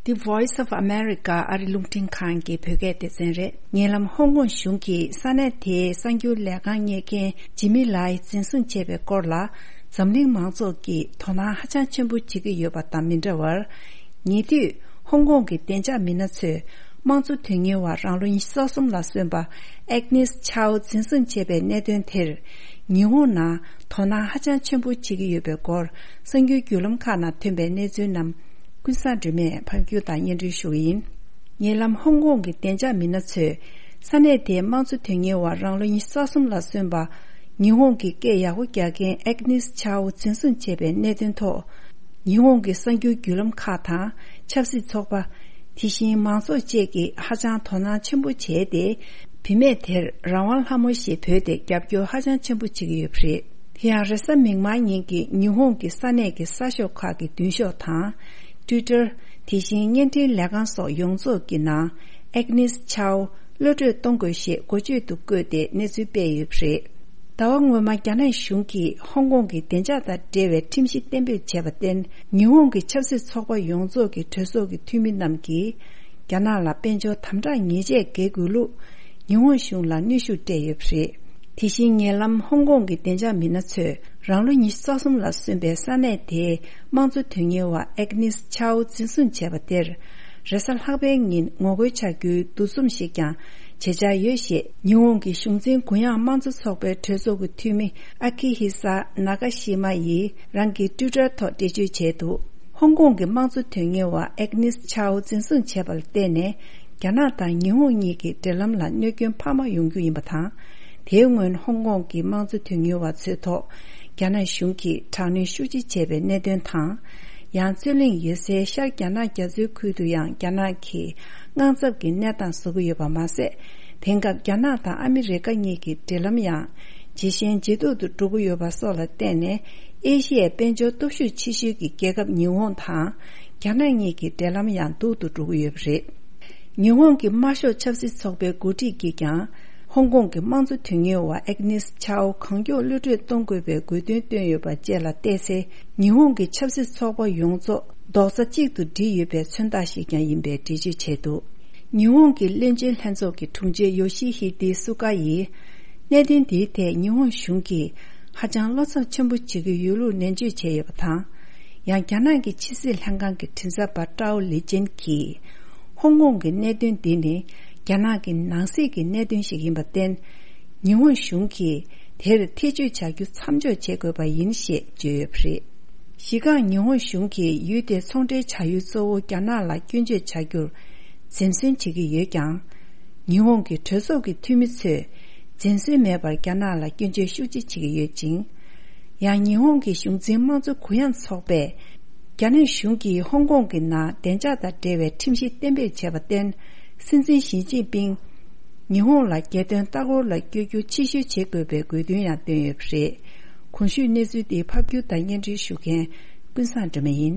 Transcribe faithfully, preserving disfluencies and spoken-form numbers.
The Voice of America ཨ་རི་རླུང་འཕྲིན་ཁང་གི་བོད་སྐད་སྡེ་ཚན་རེད། ཉེ་ལམ་ཧོང་ཀོང་གཞུང་གིས་ས་གནས་དེའི་གསར་འགྱུར་ལས་ཁང་གཉེར་མཁན་ཇི་མི་ལའི་འཛིན་བཟུང་བྱས་པའི་སྐོར་ལ། འཛམ་གླིང་མང་ཚོགས་ཀྱིས་དོ་སྣང་ཧ་ཅང་ཆེན་པོ་བྱེད་ཀྱི་ཡོད་པ་དང་མི་འདྲ་བར། ཉེ་དུས་ཧོང་ཀོང་གི་བདེ་འཇགས་མི་སྣ་ཚོས་དམངས་གཙོ་དོན་གཉེར་བ་རང་ལོ་ཉི་ཤུ་རྩ་གསུམ་ལ་སོན་པ་ཨེག་ནིས་ཆའོ་འཛིན་བཟུང་བྱས་པའི་གནད་དོན་དེར། ཉི་ཧོང་ནང་དོ་སྣང་ཧ་ཅང་ཆེན་པོ་བྱེད་ཀྱི་ཡོད་པའི་སྐོར་གསར་འགྱུར་བརྒྱུད་ལམ་ཁག་ནང་ཐོན་པའི་གནས་ཚུལ་རྣམས། ཀུན་བཟང་སྒྲོལ་མས་ཕབ་སྒྱུར་དང་སྙན་སྒྲོན་ཞུ་གི་ཡིན། ཉེ་ལམ་ཧོང་ཀོང་གི་བདེ་འཇགས་མི་སྣ་ཚོས་ས་གནས་དེའི་དམངས་གཙོ་དོན་གཉེར་བ་རང་ལོ་ཉི་ཤུ་རྩ་གསུམ་ལ་སོན་པ། ཉི་ཧོང་གི་སྐད་ཡག་པོ་རྒྱག་མཁན་ཨེག་ནིས་ཆའོ་འཛིན་བཟུང་བྱས་པའི་གནད་དོན་ཐོག་ཉི་ཧོང་གི་གསར་འགྱུར་བརྒྱུད་ལམ་ཁག་དང་ཆབ་སྲིད་ཚོགས་པ། དེ་བཞིན་མང་ཚོགས་བཅས་ཀྱིས་ཧ་ཅང་དོ་སྣང་ཆེན་པོ་བྱས་ཏེ། བུད་མེད་དེར་རང་དབང་ལྷ་མོ་ཞེས་འབོད་དེ་རྒྱབ་སྐྱོར་ཧ་ཅང་ཆེན་པོ་བྱེད་ཀྱི་ཡོད་པ་རེད། དེ་ཡང་རེས་གཟའ་མིག་དམར་ཉིན་གྱི་ཉི་ཧོང་གི་ས་གནས་ཀྱི་གསར་ཤོག་ཁག་གི་མདུན་ཤོག་དང་། Twitter། དེ་བཞིན་བརྙན་འཕྲིན་ལས་ཁང་སོགས་ཡོངས་རྫོགས་ཀྱི་ནང་ཨེག་ནིས་ཆའོ་གློད་བཀྲོལ་གཏོང་དགོས་ཞེས་འགོ་བརྗོད་དུ་བཀོད་དེ་གནས་ཚུལ་སྤེལ་ཡོད་པ་རེད། ཟླ་བ་སྔོན་མ་རྒྱ་ནག་གཞུང་གིས་ཧོང་ཀོང་གི་བདེ་འཇགས་དང་འབྲེལ་བའི་ཁྲིམས་གཞི་གཏན་འབེབས་བྱས་པར་བརྟེན། ཉི་ཧོང་གི་ཆབ་སྲིད་ཚོགས་པ་ཡོངས་རྫོགས་ཀྱི་གྲོས་ཚོགས་ཀྱི་འཐུས་མི་རྣམས་ཀྱིས། རྒྱ་ནག་ལ་དཔལ་འབྱོར་དམ་དྲག་ཉེས་ཆད་འགེལ་དགོས་ལུགས། ཉི་ཧོང་གཞུང་ལ་གནོན་ཤུགས་སྤྲད་ཡོད་པ་རེད། དེ་བཞིན་ཉེ་ལམ་ཧོང་ཀོང་གི་བདེ་འཇགས་མི་སྣ་ཚོས་རང་ལོ་ཉི་ཤུ་རྩ་གསུམ་ལ་སོན་པའི་ས་གནས་དེའི་དམངས་གཙོ་དོན་གཉེར་བ་ཨེག་ནིས་ཆའོ་འཛིན་བཟུང་བྱས་པ་དེར། རེས་གཟའ་ལྷག་པའི་ཉིན་ངོ་རྒོལ་བྱ་རྒྱུའི་འདུ་འཛོམས་ཤིག་ཀྱང་བྱེད་འཆར་ཡོད་ཞེས། ཉི་ཧོང་གི་གཞུང་འཛིན་གུ་ཡངས་དམངས་གཙོ་ཚོགས་པའི་གྲོས་ཚོགས་ཀྱི་འཐུས་མི་ཨ་ཁི་ཧི་ས་ན་ཀ་ཤི་མ་ཡིས་རང་གི་ཊུའི་ཊར་ཐོག་འགྲེལ་བརྗོད་བྱས་འདུག་ཧོང་ཀོང་གི་དམངས་གཙོ་དོན་གཉེར་བ་ཨེག་ནིས་ཆའོ་འཛིན་བཟུང་བྱས་པ་ལ་བརྟེན་ནས། རྒྱ་ནག་དང་ཉི་ཧོང་གཉིས་ཀྱི་འབྲེལ་ལམ་ལ་གནོད་སྐྱོན་འཕར་མ་ཡོང་རྒྱུ་ཡིན་པ་དང་། དེའི་སྔོན་ཧོང་ཀོང་གི་དམངས་གཙོ་དོན་གཉེར་བ་ཚོའི་ཐོག་རྒྱ་ནག་གཞུང་གིས་དྲག་གནོན་ཤུགས་ཆེ་བྱས་པའི་གནད་དོན་དང་། ཡང་རྩོད་གླེང་ཡོད་སའི་ཤར་རྒྱ་ནག་རྒྱ་མཚོའི་ཁུལ་དུ་ཡང་རྒྱ་ནག་གིས་དངངས་འཚབ་ཀྱི་གནས་སྟངས་བཟོ་གི་ཡོད་པ་མ་ཟད། དེང་སྐབས་རྒྱ་ནག་དང་ཨ་མི་རི་ཀ་གཉིས་ཀྱི་འབྲེལ་ལམ་ཡང་ཇེ་ཞན་ཇེ་སྡུག་ཏུ་འགྲོ་གི་ཡོད་པ་སོགས་ལ་བརྟེན་ནས། ཨེ་ཤི་ཡའི་དཔལ་འབྱོར་སྟོབས་ཤུགས་ཆེ་ཤོས་ཀྱི་རྒྱལ་ཁབ་ཉི་ཧོང་དང་རྒྱ་ནག་གཉིས་ཀྱི་འབྲེལ་ལམ་ཡང་སྡུག་ཏུ་འགྲོ་གི་ཡོད་པ་རེད། ཉི་ཧོང་གི་དམར་ཤོག་ཆབ་སྲིད་ཚོགས་པའི་འགོ་ཁྲིད་ཀྱིས་ཀྱང་། ཧོང་ཀོང་གི་དམངས་གཙོ་དོན་གཉེར་བ་ཨེག་ནིས་ཆའོ་གང་མགྱོགས་གློད་བཀྲོལ་གཏོང་དགོས་པའི་དགོས་འདུན་བཏོན་ཡོད་པ་བཅས་ལ་བལྟས་ཚེ། ཉི་ཧོང་གི་ཆབ་སྲིད་ཚོགས་པ་ཡོངས་རྫོགས་རྡོག་རྩ་གཅིག་ཏུ་སྒྲིལ་ཡོད་པའི་མཚོན་རྟགས་ཤིག་ཀྱང་ཡིན་པའི་འགྲེལ་བརྗོད་བྱས་འདུག་ཉི་ཧོང་གི་བློན་ཆེན་ལྷན་ཚོགས་ཀྱི་དྲུང་ཆེ་ཡོ་ཤི་ཧི་ཏི་སུ་ཀ་ཡིས། གནད་དོན་འདིའི་ཐད་ཉི་ཧོང་གཞུང་གིས་ཧ་ཅང་བློ་འཚབ་ཆེན་པོ་བྱེད་ཀྱི་ཡོད་ལུགས་ནན་བརྗོད་བྱས་ཡོད་པ་དང་། ཡང་རྒྱ་ནག་གི་ཕྱི་སྲིད་ལྷན་ཁང་གི་མགྲིན་ཚབ་པ་ཀྲའོ་ལི་ཅན་གྱིས། ཧོང་ཀོང་གི་གནད་དོན་འདི་ནི་རྒྱ་ནག་གི་ནང་སྲིད་ཀྱི་གནད་དོན་ཞིག་ཡིན་པར་བརྟེན། ཉི་ཧོང་གཞུང་གིས་དེར་ཐེ་བྱུས་བྱ་རྒྱུ་མཚམས་འཇོག་བྱེད་དགོས་པ་ཡིན་ཞེས་བརྗོད་ཡོད་པ་རེད། གཞི་རྐང་ཉི་ཧོང་གཞུང་གིས་ཡུལ་དེའི་ཚོང་འབྲེལ་བྱ་ཡུལ་གཙོ་བོ་རྒྱ་ནག་ལ་སྐྱོན་བརྗོད་བྱ་རྒྱུར་འཛེམ་ཟོན་བྱེད་ཀྱི་ཡོད་ཀྱང་། ཉི་ཧོང་གི་གྲོས་ཚོགས་ཀྱི་འཐུས་མི་ཚོས་འཛེམ་ཟོན་མེད་པར་རྒྱ་ནག་ལ་སྐྱོན་བརྗོད་ཤུགས་ཆེ་བྱེད་ཀྱི་ཡོད་ཅིང་། ཡང་ཉི་ཧོང་གི་གཞུང་འཛིན་དམངས་གཙོ་གུ་ཡངས་ཚོགས་པས། རྒྱ་ནག་གཞུང་གིས་ཧོང་ཀོང་གི་ནང་བདེ་འཇགས་དང་འབྲེལ་བའི་ཁྲིམས་གཞི་གཏན་འབེབས་བྱས་པར་བརྟེན། སྲིད་འཛིན་ཞི་ཅིན་ཕིང་། ཉི་ཧོང་ལ་རྒྱལ་དོན་ལྟ་སྐོར་ལ་བསྐྱོད་རྒྱུ་ཕྱིར་བཤོལ་བྱེད་དགོས་པའི་དགོས་འདུན་ཡང་བཏོན་ཡོད་པ་རེད། གོང་ཞུས་གནས་ཚུལ་དེ་ཕབ་སྒྱུར་དང་སྙན་སྒྲོན་ཞུ་མཁན་ཀུན་བཟང་སྒྲོལ་མ་ཡིན།